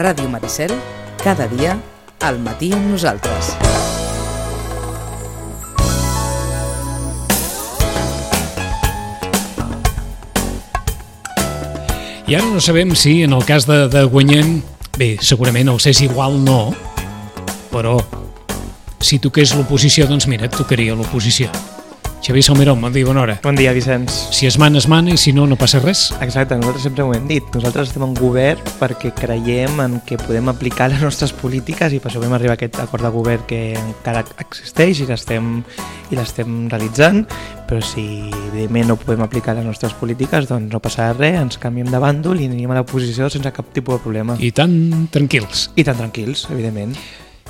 Ràdio Maricel, cada dia, al matí amb nosaltres. I ara no sabem si, en el cas de Guanyem, bé, segurament els és igual no, però si toqués l'oposició, doncs mira, et tocaria l'oposició. Xavier Salmerón, bon dia, bona hora. Bon dia, Vicenç. Si es mana, i si no, no passa res. Exacte, nosaltres sempre ho hem dit. Nosaltres estem en govern perquè creiem en que podem aplicar les nostres polítiques i per això vam arribar a aquest acord de govern que encara existeix i l'estem realitzant, però si evidentment no podem aplicar les nostres polítiques, doncs no passarà res, ens canviem de bàndol i anirem a l'oposició sense cap tipus de problema. I tan tranquils. I tan tranquils, evidentment.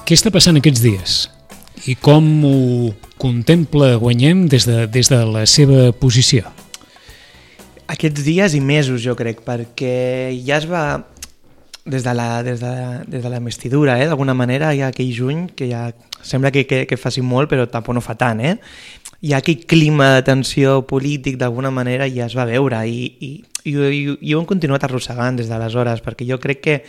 Què està passant aquests dies? I com ho contempla Guanyem des de la seva posició? Aquests dies i mesos, jo crec, perquè ja es va, des de la investidura, d'alguna manera, hi ha aquell juny que ja sembla que faci molt, però tampoc no fa tant, Hi ha aquell clima de tensió polític, d'alguna manera, ja es va veure, i ho hem continuat arrossegant des d'aleshores, perquè jo crec que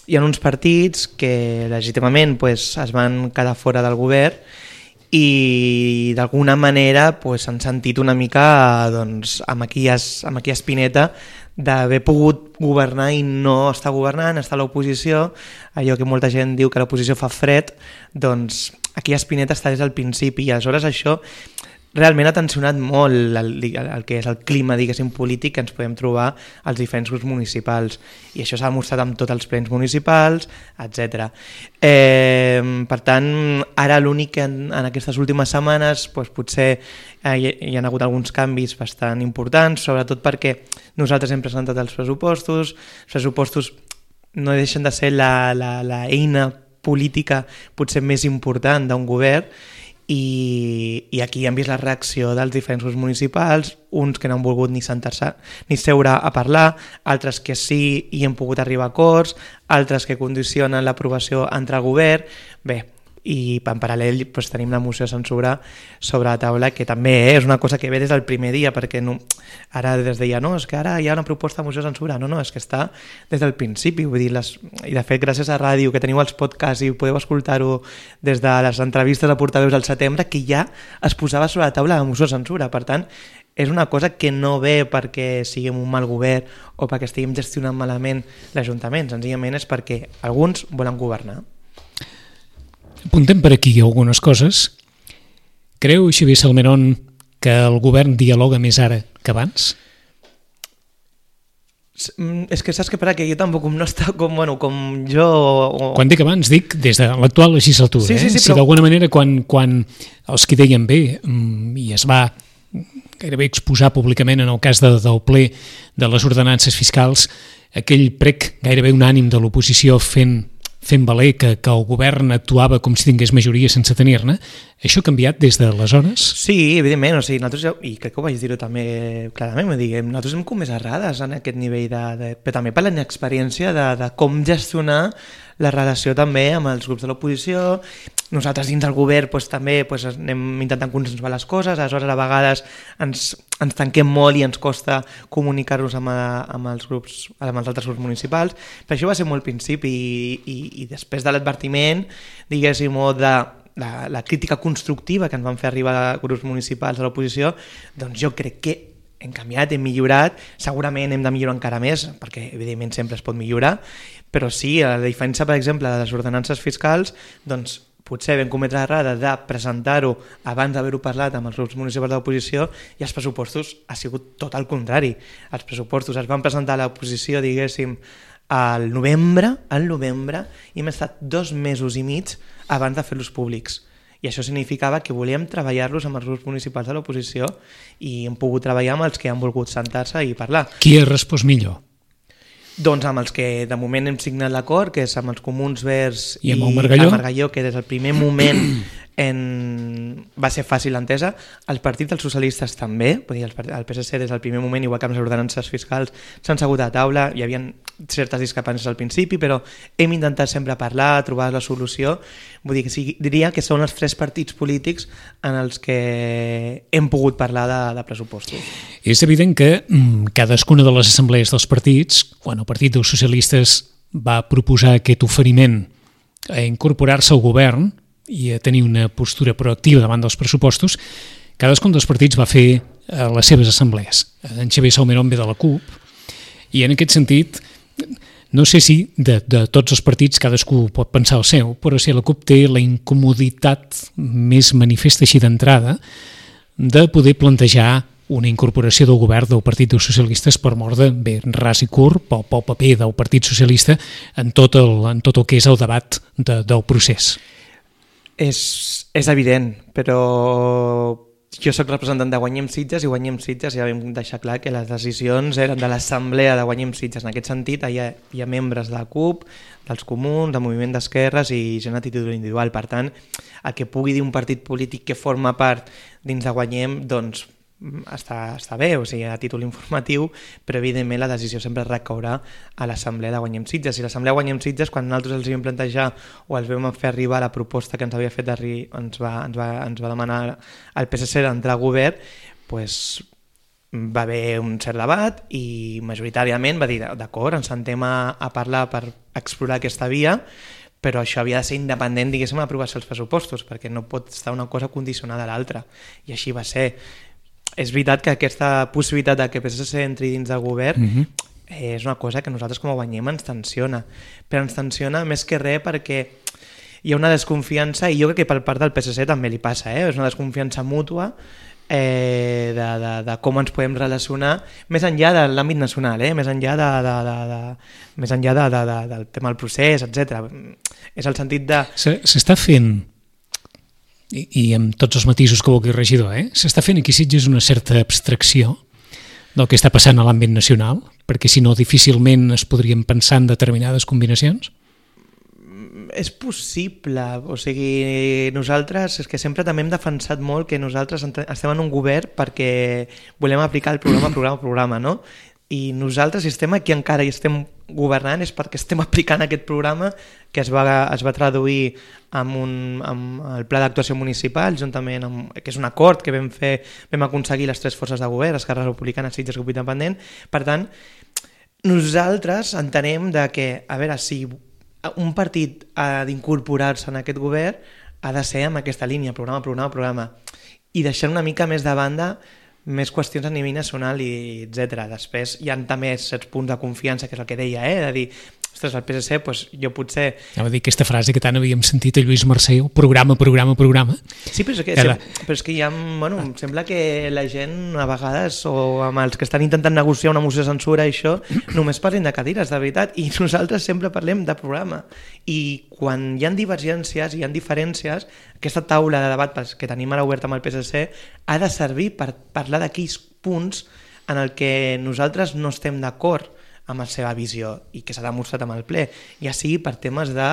hi ha uns partits que legítimament es van quedar fora del govern i d'alguna manera s'han sentit una mica amb aquella espineta d'haver pogut governar i no estar governant, estar a l'oposició, allò que molta gent diu que l'oposició fa fred, doncs aquella espineta està des del principi i aleshores això realment ha tensionat molt el que és el clima, diguéssim, polític que ens podem trobar als diferents grups municipals. I això s'ha demostrat amb tots els plens municipals, etc. Per tant, ara l'únic que en aquestes últimes setmanes potser hi ha hagut alguns canvis bastant importants, sobretot perquè nosaltres hem presentat els pressupostos no deixen de ser l'eina política potser més important d'un govern, i aquí hem vist la reacció dels diferents grups municipals, uns que no han volgut ni sentar-se ni seure a parlar, altres que sí i hem pogut arribar a acords, altres que condicionen l'aprovació entre el govern. Bé, i en paral·lel tenim la moció de censura sobre la taula, que també és una cosa que ve des del primer dia, perquè ara es deia, no, és que ara hi ha una proposta de moció de censura, no, és que està des del principi, vull dir, i de fet gràcies a ràdio, que teniu els podcasts i podeu escoltar-ho des de les entrevistes de portaveus del setembre, que ja es posava sobre la taula la moció de censura. Per tant, és una cosa que no ve perquè siguem un mal govern o perquè estiguem gestionant malament l'Ajuntament, senzillament és perquè alguns volen governar. Apuntem per aquí algunes coses. Creu, Xavier Salmerón, que el govern dialoga més ara que abans? És que saps què passa? Que jo tampoc no està com jo... Quan dic abans, dic des de l'actual legislatura. Sí, Si d'alguna manera quan els que deien bé i es va gairebé exposar públicament en el cas del ple de les ordenances fiscals, aquell prec gairebé unànim de l'oposició fent valer que el govern actuava com si tingués majoria sense tenir-ne, això ha canviat des d'aleshores? Sí, evidentment, nosaltres, i crec que ho vaig dir-ho també clarament, nosaltres hem comès errades en aquest nivell, però també per la inexperiència de com gestionar la relació també amb els grups de l'oposició. Nosaltres dins del govern també anem intentant consensuar les coses, aleshores a vegades ens tanquem molt i ens costa comunicar-nos amb els altres grups municipals. Per això va ser molt principi i després de l'advertiment, diguéssim, o de la crítica constructiva que ens van fer arribar grups municipals de l'oposició, doncs jo crec que hem canviat, hem millorat, segurament hem de millorar encara més, perquè evidentment sempre es pot millorar, però sí, a la diferència, per exemple, de les ordenances fiscals, doncs potser vam cometre l'errada de presentar-ho abans d'haver-ho parlat amb els grups municipals de l'oposició i els pressupostos ha sigut tot el contrari. Els pressupostos es van presentar a l'oposició, diguéssim, al novembre i hem estat 2 mesos i mig abans de fer-los públics. I això significava que volíem treballar-los amb els grups municipals de l'oposició i hem pogut treballar amb els que han volgut sentar-se i parlar. Qui ha respost millor? Doncs amb els que de moment hem signat l'acord, que és amb els Comuns, Verds i amb el Margalló, que des del primer moment va ser fàcil l'entesa. El partit dels socialistes també, vull dir, el PSC des del primer moment, igual que amb les ordenances fiscals, s'han segut a taula, hi havia certes discrepàncies al principi, però hem intentat sempre parlar, trobar la solució. Vull dir que sí, diria que són els 3 partits polítics en els que hem pogut parlar de pressupostos. És evident que cadascuna de les assemblees dels partits, quan el Partit dels Socialistes va proposar aquest oferiment a incorporar-se al govern i a tenir una postura proactiva davant dels pressupostos, cadascun dels partits va fer les seves assemblees. En Xavier Salmerón ve de la CUP i en aquest sentit no sé si de tots els partits cadascú pot pensar el seu, però si la CUP té la incomoditat més manifesta així d'entrada de poder plantejar una incorporació del govern del Partit dels Socialistes per mort de, bé, ras i curt, pel paper del Partit Socialista en tot el que és el debat del procés. És evident, però jo soc representant de Guanyem Sitges i Guanyem Sitges ja vam deixar clar que les decisions eren de l'assemblea de Guanyem Sitges. En aquest sentit hi ha membres de la CUP, dels Comuns, del Moviment d'Esquerres i gent a títol individual. Per tant, el que pugui dir un partit polític que forma part dins de Guanyem, doncs està bé, o sigui, a títol informatiu, però evidentment la decisió sempre recaurà a l'assemblea de Guanyem Sitges. I l'assemblea de Guanyem Sitges, quan nosaltres els vam plantejar o els vam fer arribar la proposta que ens havia fet ens va demanar el PSC d'entrar al govern, doncs va haver un cert debat i majoritàriament va dir, d'acord, ens sentem a parlar per explorar aquesta via, però això havia de ser independent, diguéssim, a aprovar-se els pressupostos, perquè no pot estar una cosa condicionada a l'altra. I així va ser. És veritat que aquesta possibilitat que PSC entri dins del govern és una cosa que nosaltres com a Guanyem ens tensiona, però ens tensiona més que res perquè hi ha una desconfiança, i jo crec que per part del PSC també li passa, és una desconfiança mútua de com ens podem relacionar més enllà de l'àmbit nacional, més enllà del tema del procés, etc. És el sentit de... S'està fent, i amb tots els matisos que vulgui regidor, s'està fent aquí a Sitges una certa abstracció del que està passant a l'àmbit nacional, perquè si no difícilment es podrien pensar en determinades combinacions? És possible, o sigui, nosaltres és que sempre també hem defensat molt que nosaltres estem en un govern perquè volem aplicar el programa, no? I nosaltres, si estem aquí encara i estem governant, és perquè estem aplicant aquest programa que es va traduir amb el pla d'actuació municipal, juntament amb, que és un acord que vam aconseguir les tres forces de govern, Esquerra Republicana, Sitges, Grup Independent. Per tant, nosaltres entenem que, a veure, si un partit ha d'incorporar-se en aquest govern, ha de ser amb aquesta línia, programa, i deixar una mica més de banda més qüestions a nivell nacional i etc. Després hi ha també certs punts de confiança, que és el que deia, de dir, ostres, al PSC, doncs jo potser... Anava a dir aquesta frase que tant havíem sentit a Lluís Mercè, programa. Sí, però és que hi ha... Bueno, em sembla que la gent a vegades, o amb els que estan intentant negociar una moció de censura i això, només parlen de cadires, de veritat, i nosaltres sempre parlem de programa. I quan hi ha divergències, hi ha diferències, aquesta taula de debat que tenim ara oberta amb el PSC ha de servir per parlar d'aquells punts en el que nosaltres no estem d'acord amb la seva visió i que s'ha demostrat amb el ple, ja sigui per temes de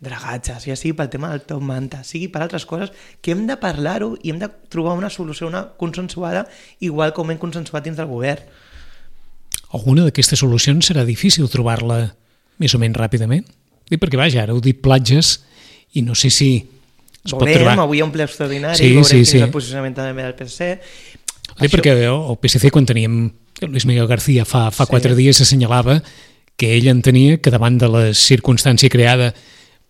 dragatges, ja sigui pel tema del top manta, sigui per altres coses que hem de parlar-ho i hem de trobar una solució, una consensuada, igual com hem consensuat dins del govern. Alguna d'aquestes solucions serà difícil trobar-la més o menys ràpidament? Perquè vaja, ara heu dit platges i no sé si es pot trobar... Avui hi ha un ple extraordinari, veurem quin és el posicionament també del PSC. Perquè el PSC, quan teníem Luis Miguel García fa 4 dies, assenyalava que ell entenia que davant de la circumstància creada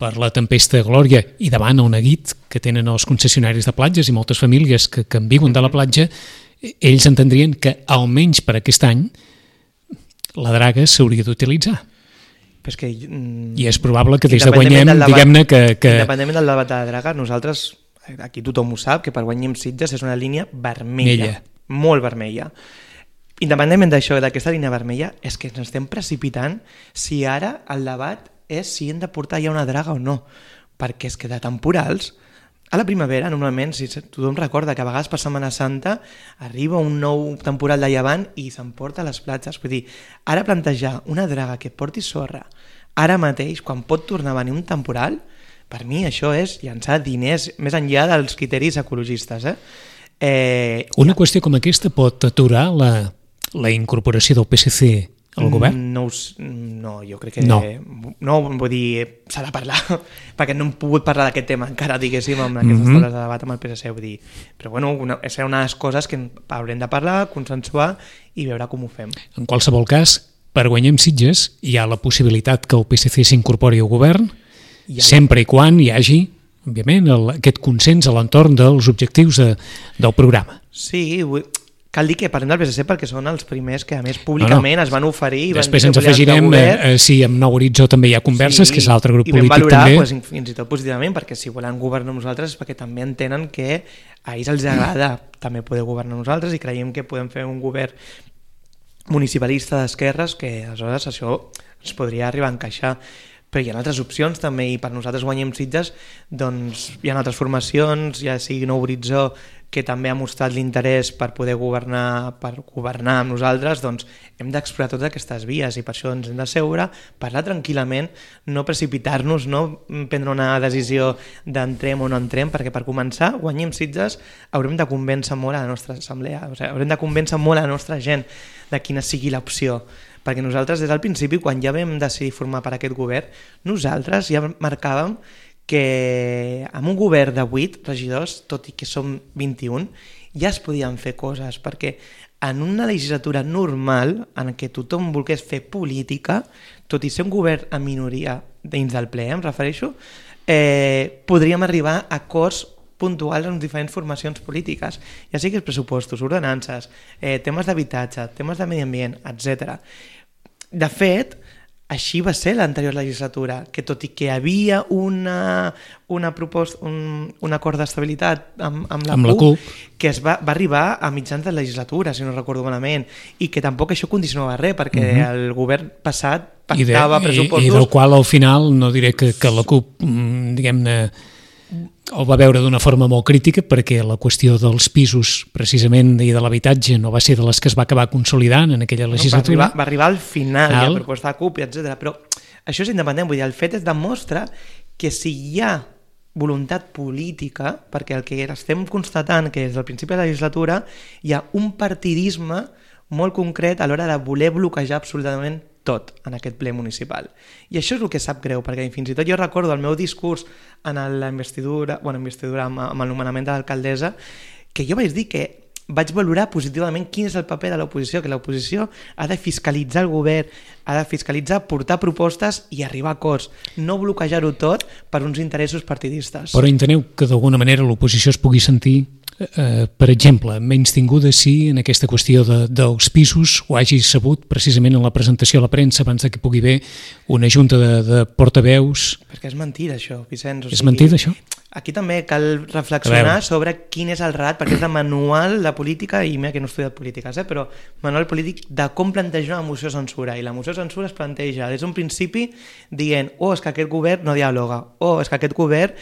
per la tempesta Glòria i davant el neguit que tenen els concessionaris de platges i moltes famílies que en viuen de la platja, ells entendrien que almenys per aquest any la draga s'hauria d'utilitzar. I és probable que des de Guanyem, diguem-ne que... Independentment del debat de la draga, nosaltres, aquí tothom ho sap, que per Guanyem Sitges és una línia vermella, molt vermella. Independentment d'això, d'aquesta línia vermella, és que ens estem precipitant si ara el debat és si hem de portar ja una draga o no, perquè és que de temporals, a la primavera, normalment, si tothom recorda que a vegades per Setmana Santa arriba un nou temporal de llevant i s'emporta a les platges. Vull dir, ara plantejar una draga que porti sorra ara mateix, quan pot tornar a venir un temporal, per mi això és llançar diners més enllà dels criteris ecologistes. Una qüestió com aquesta pot aturar la incorporació del PSC al govern? No, jo crec que... No, vull dir, s'ha de parlar, perquè no hem pogut parlar d'aquest tema encara, diguéssim, amb aquestes taules de debat amb el PSC, vull dir. Però bueno, serà una de les coses que haurem de parlar, consensuar i veure com ho fem. En qualsevol cas, per guanyar amb Sitges hi ha la possibilitat que el PSC s'incorpori al govern, sempre i quan hi hagi, òbviament, aquest consens a l'entorn dels objectius del programa. Sí, cal dir que parlem del PSC perquè són els primers que, a més, públicament es van oferir i després van ens afegirem si amb Nou Horitzó també hi ha converses, que és l'altre grup polític també. I vam valorar fins i tot positivament, perquè si volen governar nosaltres és perquè també entenen que a ells els agrada també poder governar nosaltres i creiem que podem fer un govern municipalista d'esquerres que aleshores això ens podria arribar a encaixar. Però hi ha altres opcions també i per nosaltres guanyem Sitges doncs hi ha altres formacions, ja sigui Nou Horitzó que també ha mostrat l'interès per poder governar amb nosaltres, doncs hem d'explorar totes aquestes vies i per això ens hem de seure, parlar tranquil·lament, no precipitar-nos, no prendre una decisió d'entrem o no entrem, perquè per començar, guanyem Sitges, haurem de convèncer molt a la nostra assemblea, haurem de convèncer molt a la nostra gent de quina sigui l'opció, perquè nosaltres des del principi, quan ja vam decidir formar per aquest govern, nosaltres ja marcàvem que amb un govern de 8 regidors, tot i que som 21, ja es podien fer coses, perquè en una legislatura normal, en què tothom volgués fer política, tot i ser un govern en minoria dins del ple, em refereixo, podríem arribar a acords puntuals amb diferents formacions polítiques, ja sigui pressupostos, ordenances, temes d'habitatge, temes de medi ambient, etc. De fet, així va ser l'anterior legislatura, que tot i que hi havia una proposta, un acord d'estabilitat amb la CUP, que va arribar a mitjans de legislatura, si no recordo malament, i que tampoc això condicionava res, perquè el govern passat pactava pressupostos... I del qual al final, no diré que la CUP, diguem-ne, el va veure d'una forma molt crítica perquè la qüestió dels pisos precisament i de l'habitatge no va ser de les que es va acabar consolidant en aquella legislatura. Va arribar al final de la proposta de CUP, etc. Però això és independent, vull dir, el fet es demostra que si hi ha voluntat política, perquè el que estem constatant que des del principi de la legislatura hi ha un partidisme molt concret a l'hora de voler bloquejar absolutament tot en aquest ple municipal. I això és el que sap greu, perquè fins i tot jo recordo el meu discurs en la investidura amb el nomenament de l'alcaldessa, que jo vaig dir que vaig valorar positivament quin és el paper de l'oposició, que l'oposició ha de fiscalitzar el govern, ha de fiscalitzar, portar propostes i arribar a acords, no bloquejar-ho tot per uns interessos partidistes. Però enteneu que d'alguna manera l'oposició es pugui sentir per exemple, menys tinguda si en aquesta qüestió dels pisos ho hagi sabut precisament en la presentació a la premsa abans que pugui haver una junta de portaveus. Perquè és mentida això, Vicenç. És mentida això? Aquí també cal reflexionar sobre quin és el relat, perquè és el manual de política, i mira que no he estudiat polítiques, però manual polític de com plantejar una moció de censura, i la moció de censura es planteja des d'un principi dient és que aquest govern no dialoga, és que aquest govern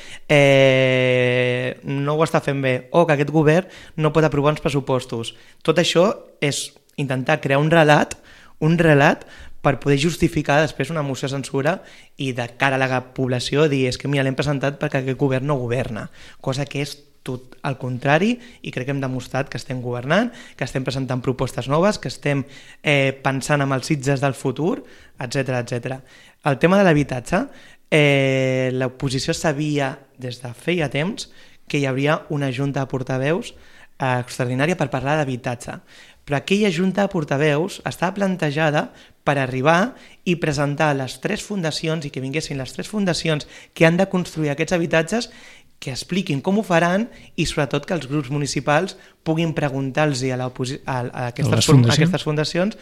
no ho està fent bé, que aquest govern no pot aprovar uns pressupostos. Tot això és intentar crear un relat per poder justificar després una moció de censura i de cara a la població dir és que mira, l'hem presentat perquè aquest govern no governa, cosa que és tot al contrari, i crec que hem demostrat que estem governant, que estem presentant propostes noves, que estem pensant en els Sitges del futur, etc etc. El tema de l'habitatge, l'oposició sabia des de feia temps que hi hauria una junta de portaveus extraordinària per parlar d'habitatge. Però aquella junta de portaveus estava plantejada per arribar i presentar les 3 fundacions i que vinguessin les 3 fundacions que han de construir aquests habitatges, que expliquin com ho faran i sobretot que els grups municipals puguin preguntar-los a aquestes fundacions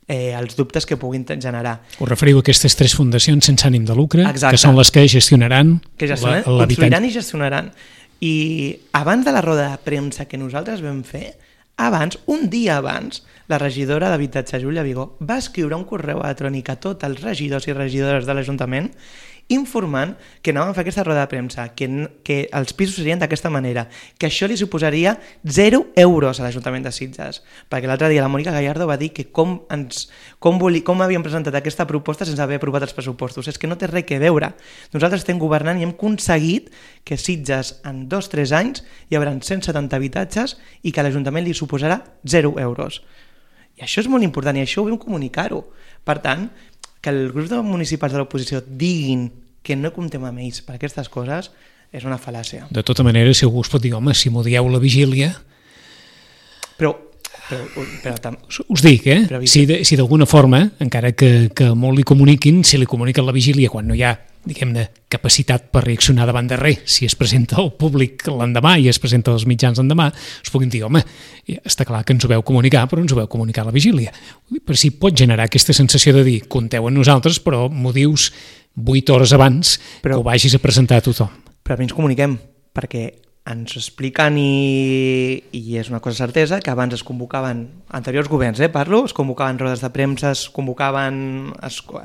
els dubtes que puguin generar. Us referiu a aquestes 3 fundacions sense ànim de lucre, exacte, que són les que gestionaran l'habitatge. Construiran i gestionaran. I abans de la roda de premsa que nosaltres vam fer, un dia abans, la regidora d'Habitatge, Júlia Vigó, va escriure un correu electrònic a tots els regidors i regidores de l'Ajuntament informant que anàvem a fer aquesta roda de premsa, que els pisos serien d'aquesta manera, que això li suposaria 0 euros a l'Ajuntament de Sitges, perquè l'altre dia la Mònica Gallardo va dir que com havíem presentat aquesta proposta sense haver aprovat els pressupostos. És que no té res a veure. Nosaltres estem governant i hem aconseguit que Sitges en 2-3 anys hi haurà 170 habitatges i que a l'Ajuntament li suposarà 0 euros. I això és molt important i això ho vam comunicar-ho. Per tant, que els grups municipals de l'oposició diguin que no comptem amb ells per aquestes coses és una fal·làcia. De tota manera, si algú es pot dir, home, si m'ho dieu la vigília... Però Us dic, si d'alguna forma, encara que molt li comuniquin, si li comuniquen la vigília quan no hi ha, diguem-ne, capacitat per reaccionar davant de res, si es presenta al públic l'endemà i es presenta als mitjans l'endemà, us puguin dir, home, està clar que ens ho veu comunicar, però ens ho veu comunicar a la vigília. Per si pot generar aquesta sensació de dir, compteu amb nosaltres, però m'ho dius 8 hores abans que ho vagis a presentar a tothom. Però a mi ens comuniquem, perquè ens expliquen i és una cosa certesa que abans es convocaven, anteriors governs, es convocaven rodes de premsa,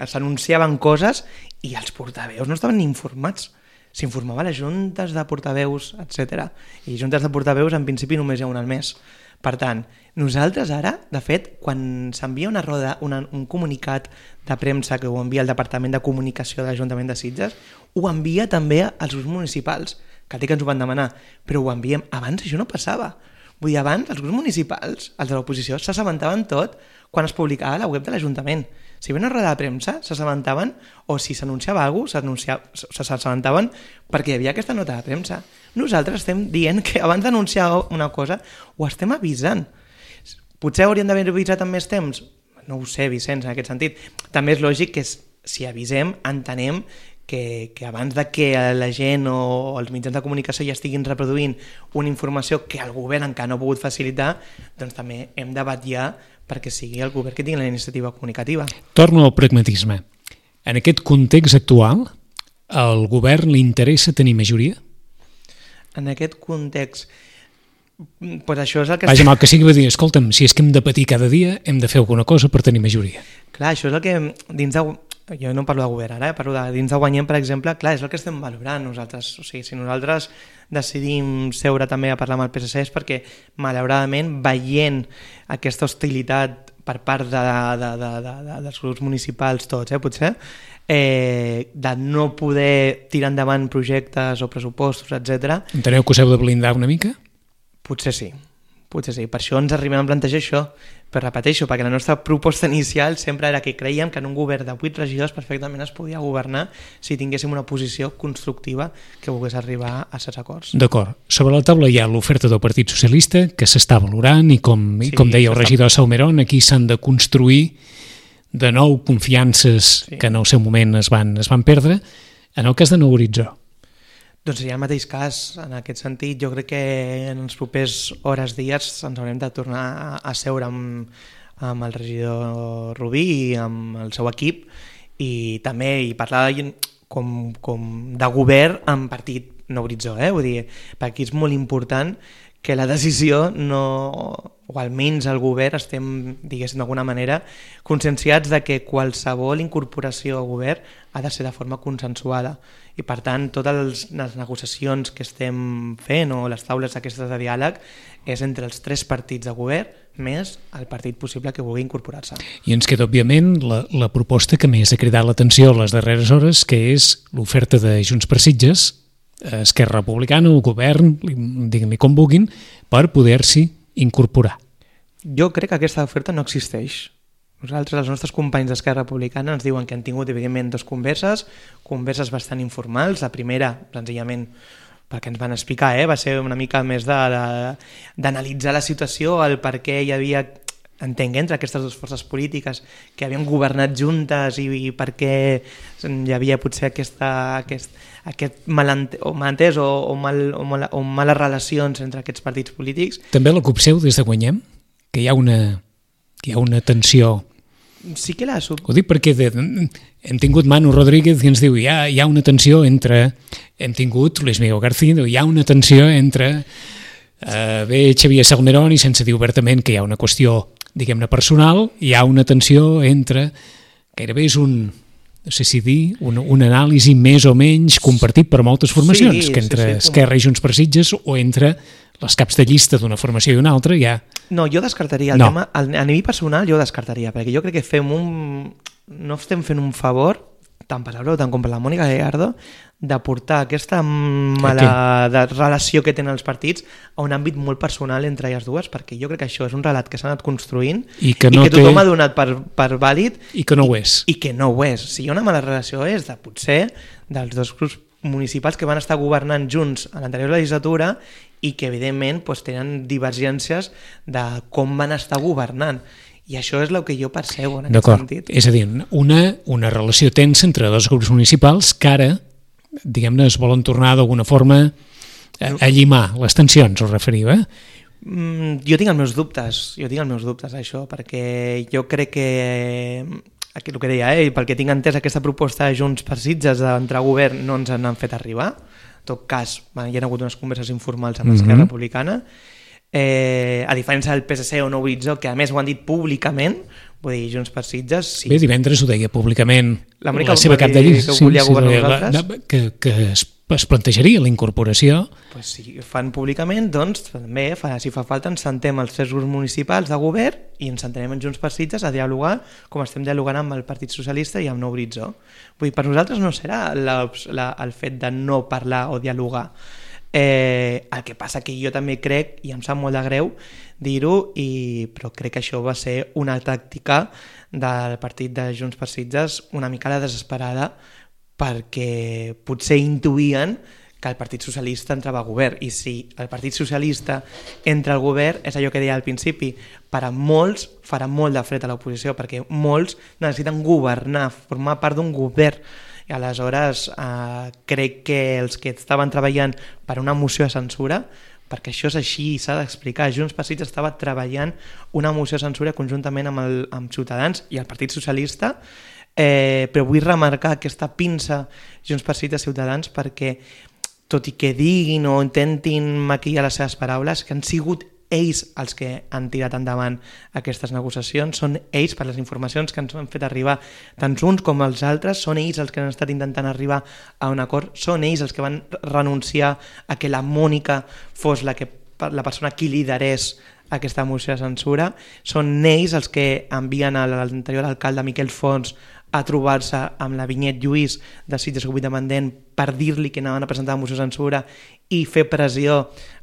s'anunciaven coses i els portaveus no estaven ni informats. S'informava a les juntes de portaveus, etc. I juntes de portaveus en principi només hi ha una al mes. Per tant, nosaltres ara, de fet, quan s'envia una roda, un comunicat de premsa que ho envia el Departament de Comunicació de l'Ajuntament de Sitges, ho envia també als grups municipals, que té que ens ho van demanar, però ho enviem. Abans això no passava. Vull dir, abans els grups municipals, els de l'oposició, s'assabentaven tot quan es publicava a la web de l'Ajuntament. Si hi havia una roda de premsa, s'assabentaven, o si s'anunciava alguna cosa, s'assabentaven perquè hi havia aquesta nota de premsa. Nosaltres estem dient que abans d'anunciar una cosa ho estem avisant. Potser hauríem d'haver avisat amb més temps? No ho sé, Vicenç, en aquest sentit. També és lògic que si avisem, entenem que abans de que la gent o els mitjans de comunicació ja estiguin reproduint una informació que el govern encara no ha pogut facilitar, doncs també hem de vetllar perquè sigui el govern que tingui la iniciativa comunicativa. Torno al pragmatisme. En aquest context actual, al govern li interessa tenir majoria? En aquest context, pues això és el que... Vaja, mal que sigui, va dir, escolta'm, si és que hem de patir cada dia, hem de fer alguna cosa per tenir majoria. Clar, això és el que dins de... Jo no parlo de govern ara, parlo de dins de Guanyem, per exemple, clar, és el que estem valorant nosaltres. O sigui, si nosaltres decidim seure també a parlar amb el PSC és perquè, malauradament, veient aquesta hostilitat per part dels grups municipals tots, potser, de no poder tirar endavant projectes o pressupostos, etc. Enteneu que us heu de blindar una mica? Potser sí. Per això ens arribem a plantejar això, però repeteixo, perquè la nostra proposta inicial sempre era que creiem que en un govern de 8 regidors perfectament es podia governar si tinguéssim una posició constructiva que volgués arribar a certs acords. D'acord. Sobre la taula hi ha l'oferta del Partit Socialista, que s'està valorant, i com deia el regidor Salmerón, aquí s'han de construir de nou confiances que en el seu moment es van perdre. En el cas de Nou Horitzó, doncs seria el mateix cas. En aquest sentit, jo crec que en els propers hores, dies, ens haurem de tornar a seure amb el regidor Rubí i amb el seu equip i també parlar com de govern amb partit Nou Horitzó. Vull dir, perquè aquí és molt important que la decisió o almenys el govern estem, diguéssim d'alguna manera, conscienciats de que qualsevol incorporació al govern ha de ser de forma consensuada i per tant totes les negociacions que estem fent o les taules aquestes de diàleg és entre els 3 partits de govern més el partit possible que vulgui incorporar-se. I ens queda òbviament la proposta que més ha cridat l'atenció a les darreres hores, que és l'oferta de Junts per Sitges, Esquerra Republicana, el govern, diguem-li com vulguin, per poder-s'hi incorporar. Jo crec que aquesta oferta no existeix. Nosaltres, els nostres companys d'Esquerra Republicana ens diuen que han tingut, evidentment, 2 converses bastant informals. La primera, senzillament, perquè ens van explicar, va ser una mica més d'analitzar la situació, el per què hi havia, entenc, entre aquestes 2 forces polítiques que havien governat juntes i per què hi havia potser aquest malentès o males relacions entre aquests partits polítics. També la copseu des de Guanyem, que hi ha una tensió. Sí que la... Ho dic perquè hem tingut Manu Rodríguez i ens diu hi ha una tensió entre... Hem tingut Luis Miguel García, hi ha una tensió entre Xavier Salmerón i sense dir obertament que hi ha una qüestió, diguem-ne, personal, hi ha una tensió entre... Gairebé és no sé si dir, un anàlisi més o menys compartit per moltes formacions, que entre Esquerra i Junts per Sitges o entre les caps de llista d'una formació i una altra hi ha... No, jo descartaria el tema, a nivell personal jo descartaria, perquè jo crec que no estem fent un favor, tant per Salvador tant com per la Mònica Gallardo, de portar aquesta mala relació que tenen els partits a un àmbit molt personal entre elles dues, perquè jo crec que això és un relat que s'ha anat construint i que tothom ha donat per vàlid i que no ho és. I que no ho és. Si hi ha una mala relació és de potser dels 2 grups municipals que van estar governant junts a l'anterior legislatura i que evidentment doncs, tenen divergències de com van estar governant. I això és el que jo percebo en aquest sentit. És a dir, una relació tensa entre dos grups municipals que ara, diguem-ne, es volen tornar d'alguna forma a llimar les tensions, us referiu, Jo tinc els meus dubtes, això, perquè jo crec que el que deia, perquè tinc entès aquesta proposta de Junts per Sitges d'entrar a govern no ens han fet arribar. En tot cas, hi ha hagut unes converses informals amb l'Esquerra Republicana, a diferència del PSC o Nou Horitzó, que a més ho han dit públicament, vull dir, Junts per Sitges... Sí. Bé, divendres ho deia públicament la seva cap de llista, que volia governar nosaltres. Que es plantejaria la incorporació. Pues si fan públicament, doncs també, si fa falta, ens sentem els 3 grups municipals de govern i ens sentarem en Junts per Sitges a dialogar com estem dialogant amb el Partit Socialista i amb Nou Horitzó. Vull dir, per nosaltres no serà el fet de no parlar o dialogar. El que passa que jo també crec, i em sap molt de greu dir-ho, però crec que això va ser una tàctica del partit de Junts per Sitges una mica la desesperada, perquè potser intuïen que el Partit Socialista entrava al govern, i si el Partit Socialista entra al govern, és allò que deia al principi, per a molts farà molt de fred a l'oposició, perquè molts necessiten governar, formar part d'un govern, i aleshores crec que els que estaven treballant per una moció de censura, perquè això és així i s'ha d'explicar, Junts per Sitges estava treballant una moció de censura conjuntament amb Ciutadans i el Partit Socialista, però vull remarcar aquesta pinça Junts per Sitges Ciutadans perquè, tot i que diguin o intentin maquillar les seves paraules, que han sigut ells els que han tirat endavant aquestes negociacions, són ells, per les informacions que ens han fet arribar tant uns com els altres, són ells els que han estat intentant arribar a un acord, són ells els que van renunciar a que la Mònica fos la persona qui liderés aquesta moció de censura, són ells els que envien a l'anterior alcalde Miquel Fons a trobar-se amb la Vinyet Lluís de Sitges Grup Independent per dir-li que anaven a presentar la moció de censura i fer pressió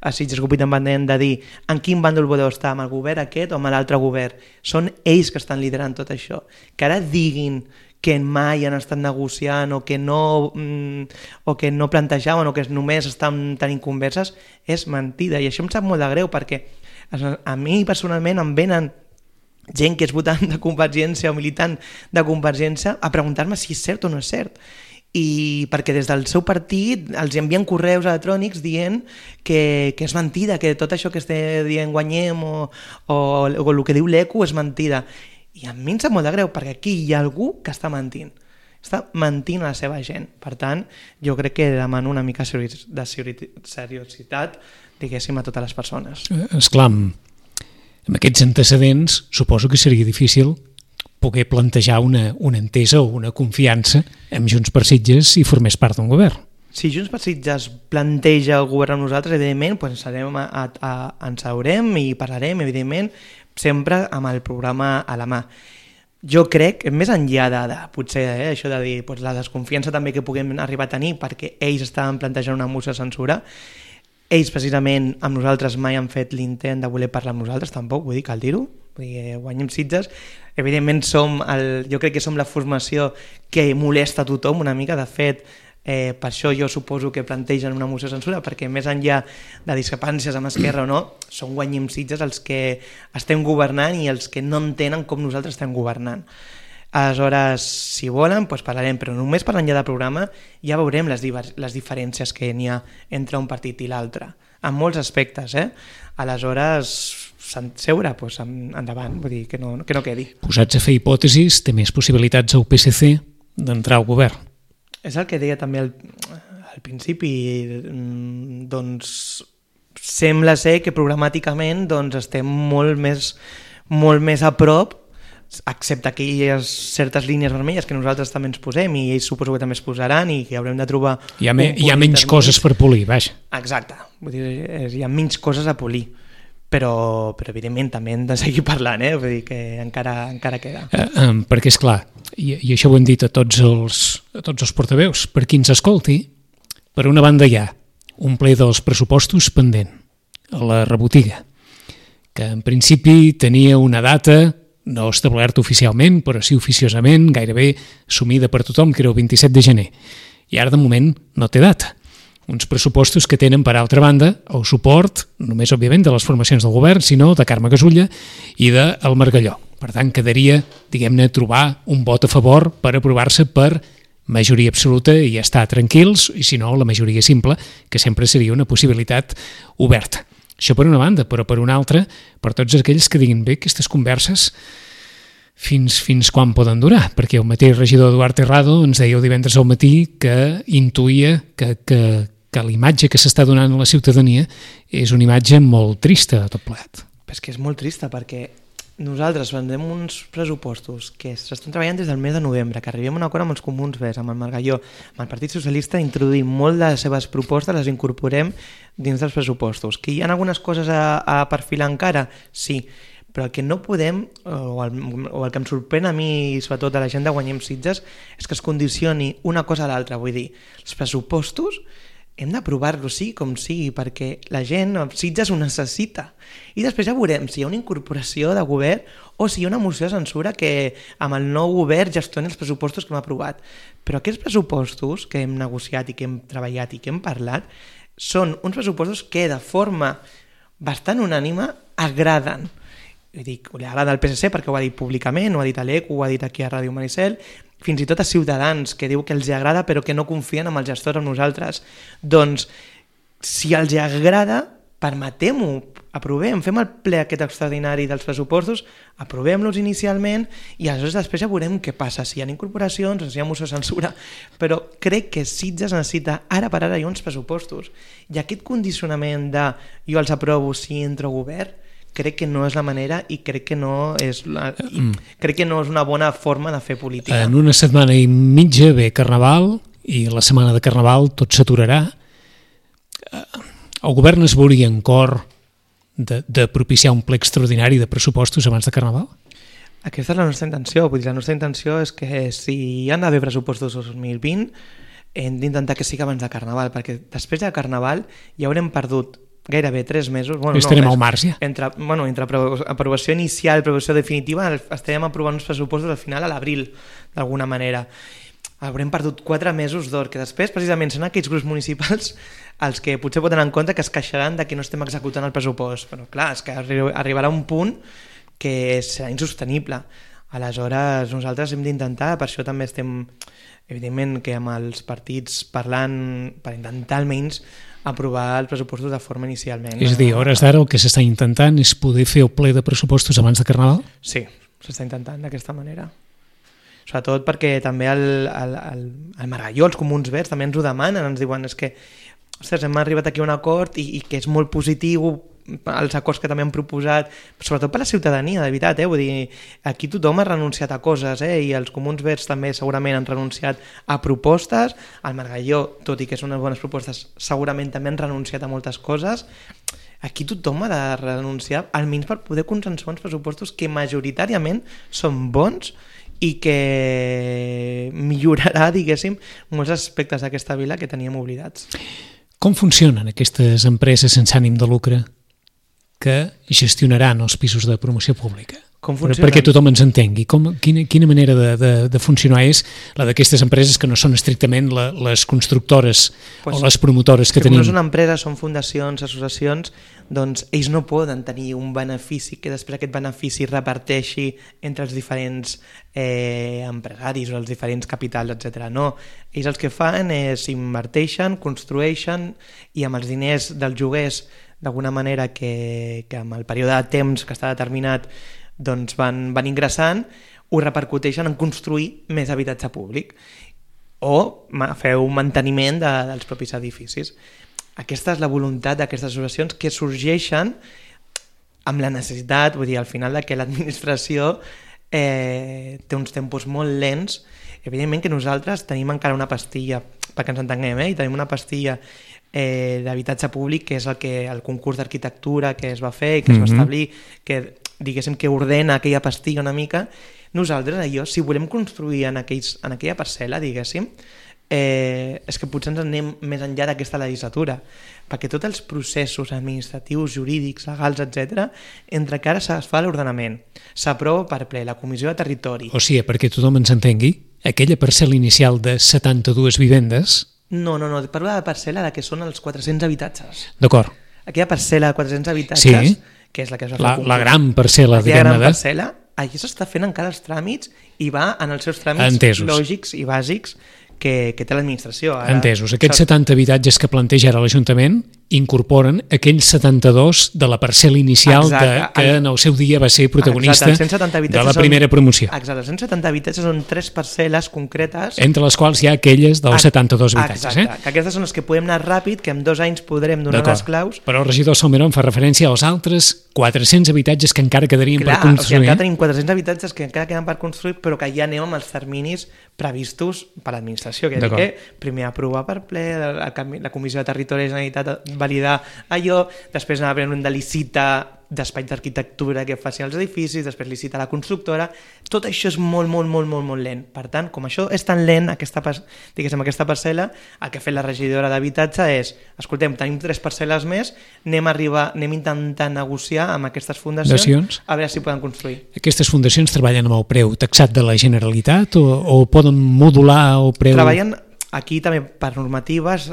a Sitges Grup Independent de dir en quin bàndol voleu estar, amb el govern aquest o amb l'altre govern. Són ells que estan liderant tot això. Que ara diguin que mai han estat negociant o que no plantejaven o que només estan tenint converses és mentida, i això em sap molt de greu perquè a mi personalment em venen gent que és votant de Convergència o militant de Convergència a preguntar-me si és cert o no és cert, i perquè des del seu partit els envien correus electrònics dient que és mentida, que tot això que esté dient Guanyem o el que diu l'ECO és mentida, i a mi em sap molt de greu perquè aquí hi ha algú que està mentint a la seva gent. Per tant, jo crec que demano una mica de seriositat, diguéssim, a totes les persones. Esclar, amb aquests antecedents suposo que seria difícil poder plantejar una entesa o una confiança amb Junts per Sitges si formés part d'un govern. Si Junts per Sitges planteja el govern amb nosaltres, evidentment, ens seurem i parlarem, evidentment, sempre amb el programa a la mà. Jo crec, més enllà de potser això de dir la desconfiança també que puguem arribar a tenir perquè ells estaven plantejant una moció de censura, ells precisament amb nosaltres mai han fet l'intent de voler parlar amb nosaltres, tampoc, vull dir, cal dir-ho, Guanyem Sitges, evidentment jo crec que som la formació que molesta a tothom una mica, de fet, per això jo suposo que plantegen una moció de censura, perquè més enllà de discrepàncies amb Esquerra o no, són Guanyem Sitges els que estem governant i els que no entenen com nosaltres estem governant. Aleshores, si volen, doncs parlarem, però només parlant ja del programa ja veurem les diferències que n'hi ha entre un partit i l'altre, en molts aspectes, Aleshores, seure, doncs endavant, vull dir, que no quedi. Posats a fer hipòtesis, té més possibilitats al PSC d'entrar al govern. És el que deia també al principi, doncs sembla ser que programàticament estem molt més a prop, excepte aquelles certes línies vermelles que nosaltres també ens posem i ells suposo que també es posaran i que haurem de trobar... Hi ha menys coses per polir, vaja. Exacte, vull dir, hi ha menys coses a polir, però evidentment també hem de seguir parlant, vull dir que encara queda. Perquè és clar, i això ho hem dit a tots els portaveus, per qui ens escolti, per una banda hi ha un ple dels pressupostos pendent, a la rebotiga, que en principi tenia una data no establerta oficialment, però sí oficiosament, gairebé assumida per tothom, que era el 27 de gener. i ara de moment no té data. Uns pressupostos que tenen, per altra banda, el suport, només òbviament de les formacions del govern, sinó de Carme Gasulla i del Margalló. Per tant, quedaria, diguem-ne, trobar un vot a favor per aprovar-se per majoria absoluta i estar tranquils, i si no, la majoria simple, que sempre seria una possibilitat oberta. Això per una banda, però per una altra, per tots aquells que diguin bé, aquestes converses fins quan poden durar, perquè el mateix regidor Eduard Terrado ens deia el divendres al matí que intuïa que la imatge que s'està donant a la ciutadania és una imatge molt trista de tot plegat. És que és molt trista perquè nosaltres vendrem uns pressupostos que s'estan treballant des del mes de novembre, que arribem a un acord amb els comuns verds, amb el Margalló, amb el Partit Socialista, introduïm molt de les seves propostes, les incorporem dins dels pressupostos. Que hi ha algunes coses a perfilar encara? Sí, però el que no podem, o el que em sorprèn a mi, sobretot a la gent de Guanyem Sitges, és que es condicioni una cosa a l'altra. Vull dir, els pressupostos hem d'aprovar-los sí com sigui, perquè la gent, Sitges ho necessita. I després ja veurem si hi ha una incorporació de govern o si hi ha una moció de censura que amb el nou govern gestioni els pressupostos que hem aprovat. Però aquests pressupostos que hem negociat i que hem treballat i que hem parlat són uns pressupostos que de forma bastant unànime agraden. Li agrada al PSC perquè ho ha dit públicament, ho ha dit a l'ECO, ho ha dit aquí a Ràdio Maricel, fins i tot a Ciutadans, que diu que els agrada però que no confien en el gestor, amb nosaltres. Doncs, si els agrada, permetem-ho, aprovem, fem el ple aquest extraordinari dels pressupostos, aprovem-los inicialment i aleshores després ja veurem què passa, si hi ha incorporacions o si hi ha moció de censura, però crec que Sitges necessita ara per ara hi ha uns pressupostos i aquest condicionament de jo els aprovo si entro a govern, crec que no és la manera i crec que no és una bona forma de fer política. En una setmana i mitja ve Carnaval i la setmana de Carnaval tot s'aturarà. El govern es veuria en cor de propiciar un ple extraordinari de pressupostos abans de Carnaval? Aquesta és la nostra intenció. Vull dir, la nostra intenció és que si hi ha d'haver pressupostos 2020 hem d'intentar que sigui abans de Carnaval, perquè després de Carnaval ja haurem perdut gairebé 3 mesos. Estarem al març ja. Entre aprovació inicial i aprovació definitiva estarem aprovant uns pressupostos al final a l'abril, d'alguna manera. Haurem perdut 4 mesos d'or, que després precisament són aquells grups municipals els que potser poden en compte que es queixaran de que no estem executant el pressupost. Però clar, és que arribarà un punt que serà insostenible. Aleshores, nosaltres hem d'intentar, per això també estem, evidentment, que amb els partits parlant per intentar almenys aprovar els pressupostos de forma inicialment. És a dir, a hores d'ara el que s'està intentant és poder fer el ple de pressupostos abans de Carnaval? Sí, s'està intentant d'aquesta manera. Sobretot perquè també el Margalló, els comuns verds, també ens ho demanen, ens diuen és que ostres, hem arribat aquí a un acord i que és molt positiu els acords que també han proposat, sobretot per la ciutadania, de veritat, vull dir, aquí tothom ha renunciat a coses, i els comuns verds també segurament han renunciat a propostes, el Margalló, tot i que són unes bones propostes, segurament també han renunciat a moltes coses. Aquí tothom ha de renunciar, almenys per poder consensuar uns pressupostos que majoritàriament són bons i que millorarà, diguéssim, molts aspectes d'aquesta vila que teníem oblidats. Com funcionen aquestes empreses sense ànim de lucre que gestionaran els pisos de promoció pública? Perquè tothom ens entengui. Quina manera de funcionar és la d'aquestes empreses que no són estrictament les constructores o les promotores que tenim? Com no és una empresa, són fundacions, associacions, doncs ells no poden tenir un benefici que després aquest benefici reparteixi entre els diferents empresaris o els diferents capitals, etc. No, ells el que fan és inverteixen, construeixen i amb els diners dels lloguers, d'alguna manera que amb el període de temps que està determinat doncs van ingressant, ho repercuteixen en construir més habitatge públic o fer un manteniment dels propis edificis. Aquesta és la voluntat d'aquestes associacions que sorgeixen amb la necessitat, vull dir, al final que l'administració té uns tempos molt lents. Evidentment que nosaltres tenim encara una pastilla, perquè ens entenguem, i tenim una pastilla d'habitatge públic que és el concurs d'arquitectura que es va fer i que es va establir, que diguéssim que ordena aquella pastilla una mica. Nosaltres allò, si volem construir en aquella parcel·la, diguéssim, és que potser ens anem més enllà d'aquesta legislatura, perquè tots els processos administratius, jurídics, legals, etc., entre que ara es fa l'ordenament, s'aprova per ple la Comissió de Territori... O sigui, perquè tothom ens entengui, aquella parcel·la inicial de 72 vivendes... No, parlo de la parcel·la que són els 400 habitatges. D'acord. Aquella parcel·la de 400 habitatges, sí, que és la que es va fer la gran parcel·la, diguem-ne. La gran parcel·la, allà s'està fent encara els tràmits i va en els seus tràmits lògics i bàsics que té l'administració. Entesos. Aquests 70 habitatges que planteja ara l'Ajuntament incorporen aquells 72 de la parcel·la inicial que en el seu dia va ser protagonista de la primera promoció. Exacte, els 170 habitatges són 3 parcel·les concretes. Entre les quals hi ha aquelles dels 72 habitatges. Exacte, que aquestes són les que podem anar ràpid, que en 2 anys podrem donar les claus. Però el regidor Salmerón fa referència als altres 400 habitatges que encara quedarien per construir. O sigui, encara tenim 400 habitatges que encara queden per construir, però que ja anem amb els terminis previstos per l'administració, que és que primer aprovar per ple, la Comissió de Territori i Generalitat validar allò, després anar a de licitar d'espais d'arquitectura que facin els edificis, després licitar la constructora, tot això és molt lent. Per tant, com això és tan lent, aquesta parcel·la, el que ha fet la regidora d'habitatge és, escoltem, tenim 3 parcel·les més, anem intentant negociar amb aquestes fundacions a veure si poden construir. Aquestes fundacions treballen amb el preu taxat de la Generalitat o poden modular el preu? Treballen aquí també per normatives,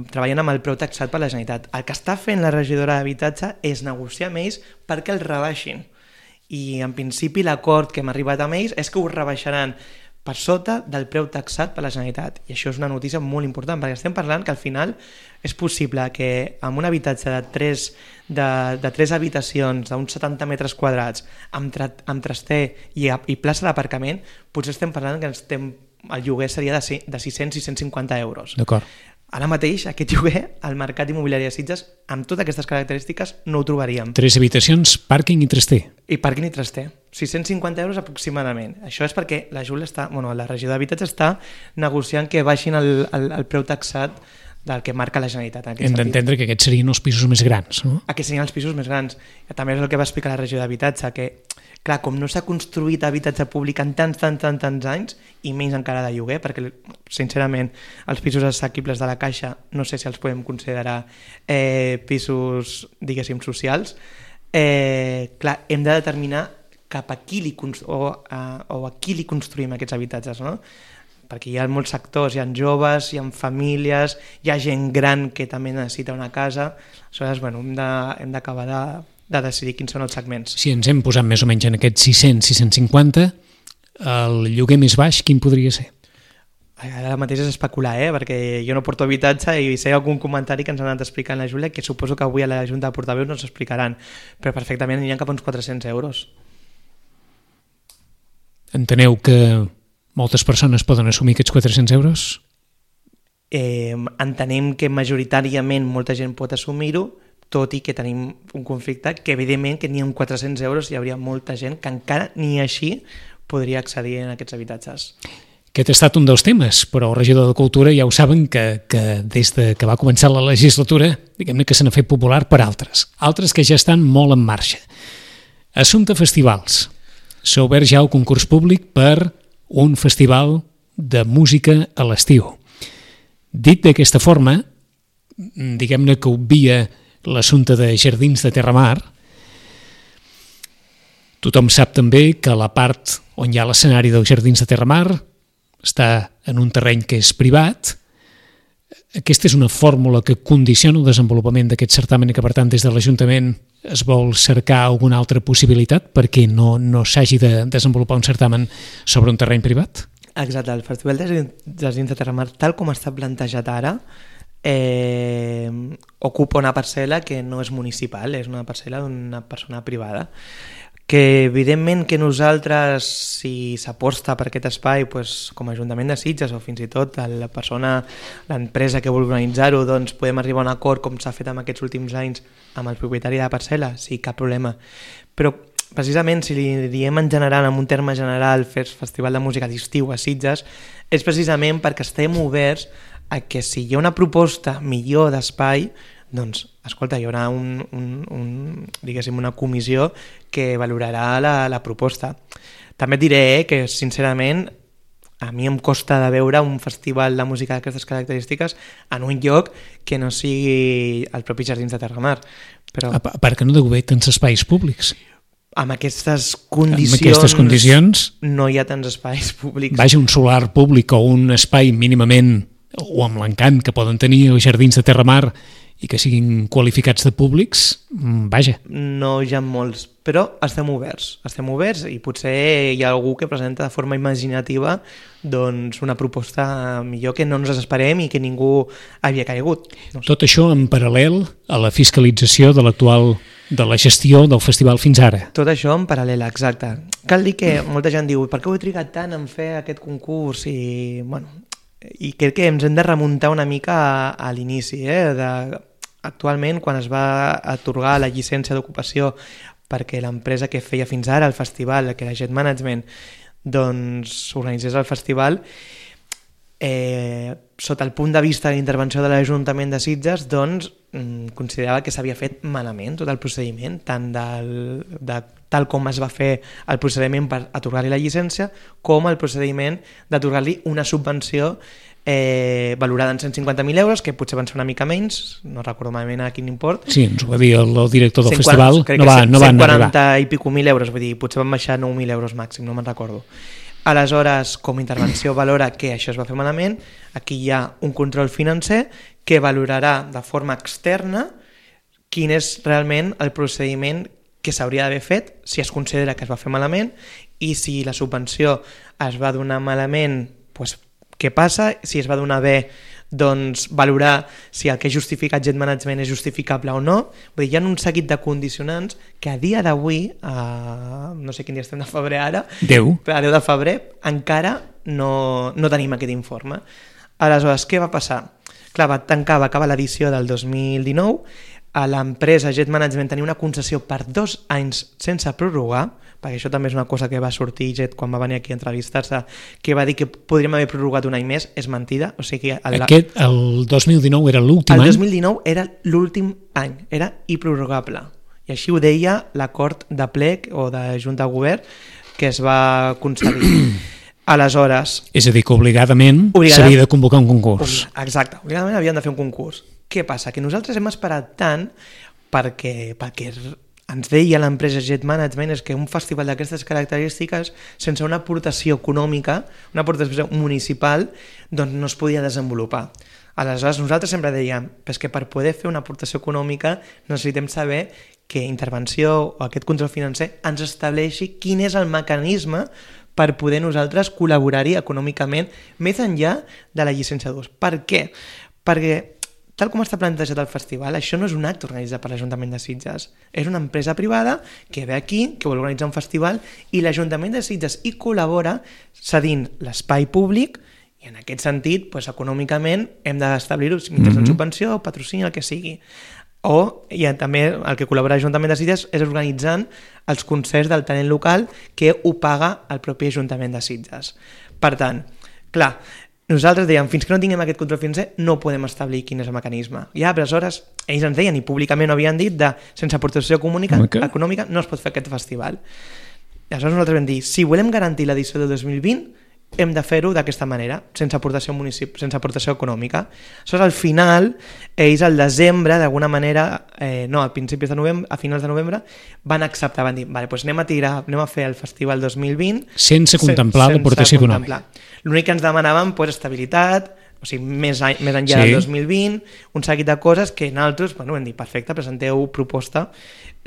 treballen amb el preu taxat per la Generalitat. El que està fent la regidora d'habitatge és negociar amb ells perquè el rebaixin. I en principi l'acord que hem arribat amb ells és que ho rebaixaran per sota del preu taxat per la Generalitat. I això és una notícia molt important, perquè estem parlant que al final és possible que amb un habitatge de 3 habitacions, d'uns 70 metres quadrats, amb traster i plaça d'aparcament, potser estem parlant que el lloguer seria de 600-650 euros. D'acord. Ara mateix, aquest lloguer, al mercat immobiliari de Sitges, amb totes aquestes característiques, no ho trobaríem. 3 habitacions, pàrquing i traster. I pàrquing i traster. 650 euros aproximadament. Això és perquè la regidora d'habitatge està negociant que baixin el preu taxat del que marca la Generalitat. Hem d'entendre que aquests serien els pisos més grans, no? Aquests serien els pisos més grans. També és el que va explicar la regidora d'habitatge, que clar, com no s'ha construït habitatge públic en tants anys, i menys encara de lloguer, perquè sincerament els pisos assequibles de la Caixa no sé si els podem considerar pisos, diguéssim, socials, clar, hem de determinar cap a qui li construïm aquests habitatges, no? Perquè hi ha molts sectors, hi ha joves, hi ha famílies, hi ha gent gran que també necessita una casa. Aleshores, hem d'acabar de decidir quins són els segments. Si ens hem posat més o menys en aquests 600-650, el lloguer més baix quin podria ser? Ara mateix és especular, perquè jo no porto habitatge i si hi ha algun comentari que ens han anat explicant la Júlia, que suposo que avui a la Junta de Portaveus no ens explicaran, però perfectament aniran cap a uns 400 euros. Enteneu que moltes persones poden assumir aquests 400 euros? Entenem que majoritàriament molta gent pot assumir-ho, tot i que tenim un conflicte que evidentment que ni amb 400 euros hi hauria molta gent que encara ni així podria accedir en aquests habitatges. Aquest ha estat un dels temes, però el regidor de Cultura ja ho saben que des que va començar la legislatura, diguem-ne que se n'ha fet popular per altres que ja estan molt en marxa. Assumpte festivals. S'ha obert ja el concurs públic per un festival de música a l'estiu. Dit d'aquesta forma, diguem-ne que obvia l'assumpte de Jardins de Terramar. Tothom sap també que la part on hi ha l'escenari dels Jardins de Terramar està en un terreny que és privat. Aquesta és una fórmula que condiciona el desenvolupament d'aquest certamen i que, per tant, des de l'Ajuntament es vol cercar alguna altra possibilitat perquè no s'hagi de desenvolupar un certamen sobre un terreny privat? Exacte, el Festival de Jardins de Terramar, tal com està plantejat ara, ocupa una parcel·la que no és municipal, és una parcel·la d'una persona privada, que evidentment que nosaltres, si s'aposta per aquest espai, com a Ajuntament de Sitges o fins i tot l'empresa que vol organitzar-ho, doncs podem arribar a un acord com s'ha fet en aquests últims anys amb el propietari de la parcel·la, sí, cap problema. Però precisament si li diem en general, en un terme general, Festival de Música d'Estiu a Sitges, és precisament perquè estem oberts a que si hi ha una proposta millor d'espai, doncs, escolta, hi haurà diguéssim, una comissió que valorarà la proposta. També et diré que, sincerament, a mi em costa de veure un festival de música d'aquestes característiques en un lloc que no sigui els propis Jardins de Terramar. Però A part que no deu haver tants espais públics. amb aquestes Amb aquestes condicions, no hi ha tants espais públics. vaja, un solar públic o un espai mínimament, o amb l'encant que poden tenir els Jardins de Terramar i que siguin qualificats de públics, vaja. No hi ha molts, però estem oberts i potser hi ha algú que presenta de forma imaginativa doncs una proposta millor que no ens esperem i que ningú havia caigut. No sé. Tot això en paral·lel a la fiscalització de la gestió del festival fins ara. Tot això en paral·lel, exacte. Cal dir que molta gent diu per què ho he trigat tant en fer aquest concurs? I, bueno, i crec que ens hem de remuntar una mica a l'inici. Actualment, quan es va atorgar la llicència d'ocupació perquè l'empresa que feia fins ara el festival, que era Jet Management, doncs organitzés el festival, sota el punt de vista de l'intervenció de l'Ajuntament de Sitges, doncs considerava que s'havia fet malament tot el procediment, tant tal com es va fer el procediment per atorgar-li la llicència, com el procediment d'atorgar-li una subvenció valorada en 150.000 euros, que potser van ser una mica menys, no recordo malament a quin import. Sí, ens ho va dir el director del festival, no van arribar. 140 i pico mil euros, vull dir, potser van baixar 9.000 euros màxim, no me'n recordo. Aleshores, com a intervenció valora que això es va fer malament, aquí hi ha un control financer que valorarà de forma externa quin és realment el procediment que s'hauria d'haver fet si es considera que es va fer malament, i si la subvenció es va donar malament, doncs què passa? Si es va donar bé, doncs valorar si el que ha justificat Jet Management és justificable o no. Vull dir, hi ha un seguit de condicionants que a dia d'avui, no sé quin dia estem de febrer ara, a 10 de febrer, encara no tenim aquest informe. Aleshores, què va passar? Clar, va acabar l'edició del 2019, a l'empresa Jet Management tenia una concessió per 2 anys sense prorrogar, perquè això també és una cosa que va sortir Jet quan va venir aquí a entrevistar-se, que va dir que podríem haver prorrogat un any més. És mentida. O sigui que el 2019 era l'últim any? El 2019 era l'últim any, era improrrogable. I així ho deia l'acord de plec o de Junta de Govern que es va concedir. Aleshores... És a dir, que obligadament s'havia de convocar un concurs. Exacte, obligadament havien de fer un concurs. Què passa? Que nosaltres hem esperat tant perquè ens deia l'empresa Jet Management és que un festival d'aquestes característiques, sense una aportació econòmica, una aportació municipal, doncs no es podia desenvolupar. Aleshores, nosaltres sempre dèiem que per poder fer una aportació econòmica necessitem saber que intervenció o aquest control financer ens estableixi quin és el mecanisme per poder nosaltres col·laborar-hi econòmicament més enllà de la llicència d'ús. Per què? Perquè tal com està plantejat el festival, això no és un acte organitzat per l'Ajuntament de Sitges. És una empresa privada que ve aquí, que vol organitzar un festival, i l'Ajuntament de Sitges hi col·labora cedint l'espai públic, i en aquest sentit, doncs, econòmicament, hem d'establir-ho mitjançant subvenció o patrocini, el que sigui. I també el que col·labora l'Ajuntament de Sitges és organitzant els concerts del talent local que ho paga el propi Ajuntament de Sitges. Per tant, clar, nosaltres dèiem, fins que no tinguem aquest control financer no podem establir quin és el mecanisme. I aleshores ells ens deien, i públicament ho havien dit, sense aportació econòmica no es pot fer aquest festival. I aleshores nosaltres vam dir, si volem garantir l'edició del 2020, hem de fer-ho d'aquesta manera, sense aportació econòmica. Aleshores, al final, ells al desembre, d'alguna manera, a principis de novembre, a finals de novembre, van acceptar, van dir, vale, doncs anem a fer el festival 2020 sense contemplar l'aportació econòmica. L'únic que ens demanaven, estabilitat, o sigui, més enllà del 2020, un seguit de coses que nosaltres, vam dir, perfecte, presenteu proposta,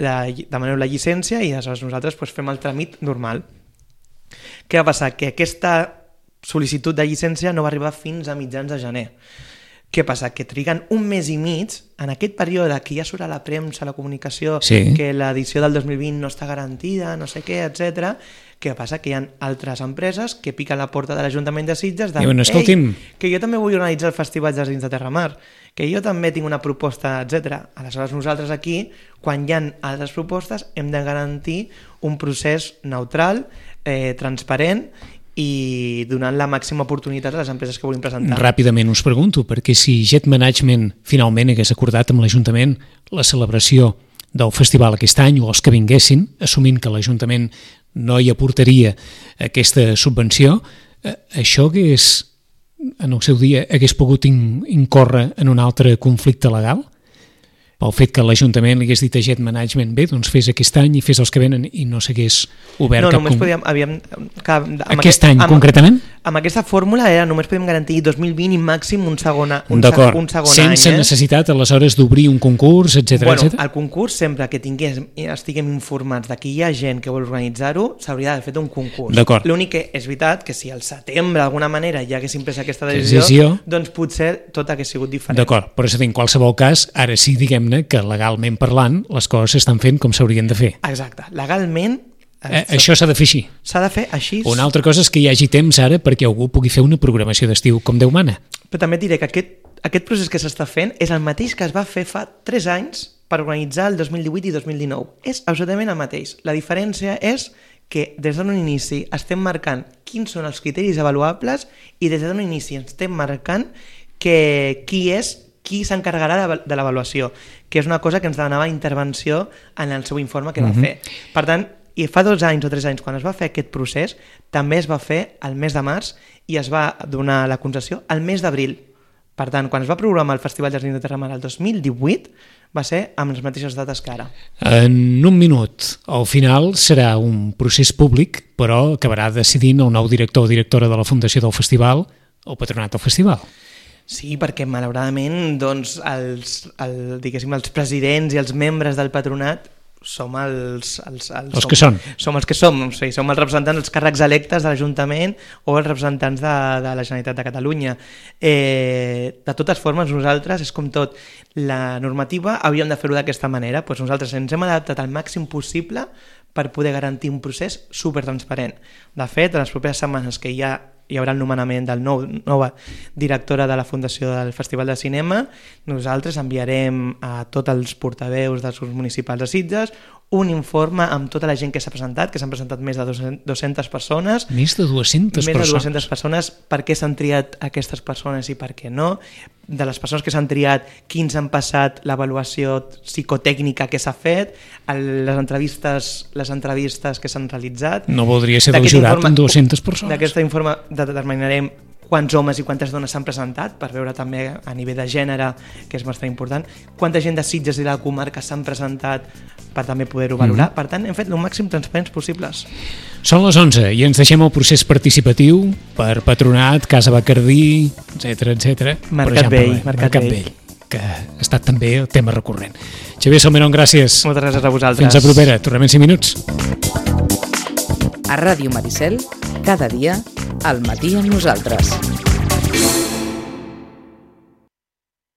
demaneu la llicència i aleshores nosaltres fem el tràmit normal. Què va passar? Que aquesta sol·licitud de llicència no va arribar fins a mitjans de gener. Què passa? Que triguen un mes i mig, en aquest període que ja surt a la premsa, a la comunicació, que l'edició del 2020 no està garantida, no sé què, etc. Què passa? Que hi ha altres empreses que piquen la porta de l'Ajuntament de Sitges de que jo també vull organitzar el Festival Jardins de Terramar, que jo també tinc una proposta, etc. Aleshores nosaltres aquí, quan hi ha altres propostes, hem de garantir un procés neutral, transparent i donant la màxima oportunitat a les empreses que vulguin presentar. Ràpidament us pregunto, perquè si Jet Management finalment hagués acordat amb l'Ajuntament la celebració del festival aquest any o els que vinguessin, assumint que l'Ajuntament no hi aportaria aquesta subvenció, Això en el seu dia hagués pogut incórrer en un altre conflicte legal? Pel fet que l'Ajuntament li hagués dit a Jet Management, bé, doncs fes aquest any i fes els que venen, i no s'hagués obert cap... No, només podíem... Aquest any, concretament? Amb aquesta fórmula només podem garantir 2020 i màxim un segon any. D'acord, sense necessitat aleshores d'obrir un concurs, etc. Bueno, el concurs, sempre que estiguem informats de que hi ha gent que vol organitzar-ho, s'hauria d'haver fet un concurs. D'acord. L'únic que és veritat que si al setembre d'alguna manera ja haguéssim pres aquesta decisió, doncs potser tot hagués sigut diferent. D'acord, però en qualsevol cas, ara sí, diguem-ne que legalment parlant les coses s'estan fent com s'haurien de fer. Exacte, legalment això s'ha de fer així. S'ha de fer així. Una altra cosa és que hi hagi temps ara perquè algú pugui fer una programació d'estiu com Déu mana. Però també et diré que aquest procés que s'està fent és el mateix que es va fer fa 3 anys per organitzar el 2018 i 2019. És absolutament el mateix. La diferència és que des d'un inici estem marcant quins són els criteris avaluables i des d'un inici estem marcant qui s'encarregarà de l'avaluació, que és una cosa que ens demanava intervenció en el seu informe que va fer. Per tant, i fa 2 anys o 3 anys, quan es va fer aquest procés, també es va fer al mes de març i es va donar la concessió al mes d'abril. Per tant, quan es va programar el Festival Jazz de Terramar el 2018, va ser amb les mateixes dates que ara. En un minut, al final serà un procés públic, però acabarà decidint el nou director o directora de la Fundació del Festival, el patronat del festival. Sí, perquè malauradament doncs, els presidents i els membres del patronat som els que són. Som els que som, o sigui, som els representants dels càrrecs electes de l'Ajuntament o els representants de la Generalitat de Catalunya. De totes formes, nosaltres, és com tot, la normativa hauríem de fer-ho d'aquesta manera, doncs nosaltres ens hem adaptat al màxim possible per poder garantir un procés supertransparent. De fet, en les properes setmanes que hi haurà el nomenament de la nova directora de la Fundació del Festival de Cinema, nosaltres enviarem a tots els portaveus dels grups municipals de Sitges un informe amb tota la gent que s'ha presentat, que s'han presentat més de 200 persones. Més de 200 persones? Més de 200 persones, per què s'han triat aquestes persones i per què no. De les persones que s'han triat, quins han passat l'avaluació psicotècnica que s'ha fet, les entrevistes que s'han realitzat. No voldria ser del jurat amb 200 persones. D'aquest informe determinarem quants homes i quantes dones s'han presentat, per veure també a nivell de gènere, que és bastant important, quanta gent de Sitges i de la comarca s'han presentat per també poder-ho valorar. Per tant, hem fet el màxim transparents possibles. Són les 11 i ens deixem el procés participatiu per Patronat, Casa Bacardí, etc. Mercat Vell, que ha estat també el tema recurrent. Xavier Salmerón, gràcies. Moltes gràcies a vosaltres. Fins a propera, tornem en 5 minuts. A Ràdio Maricel, cada dia, al matí amb nosaltres.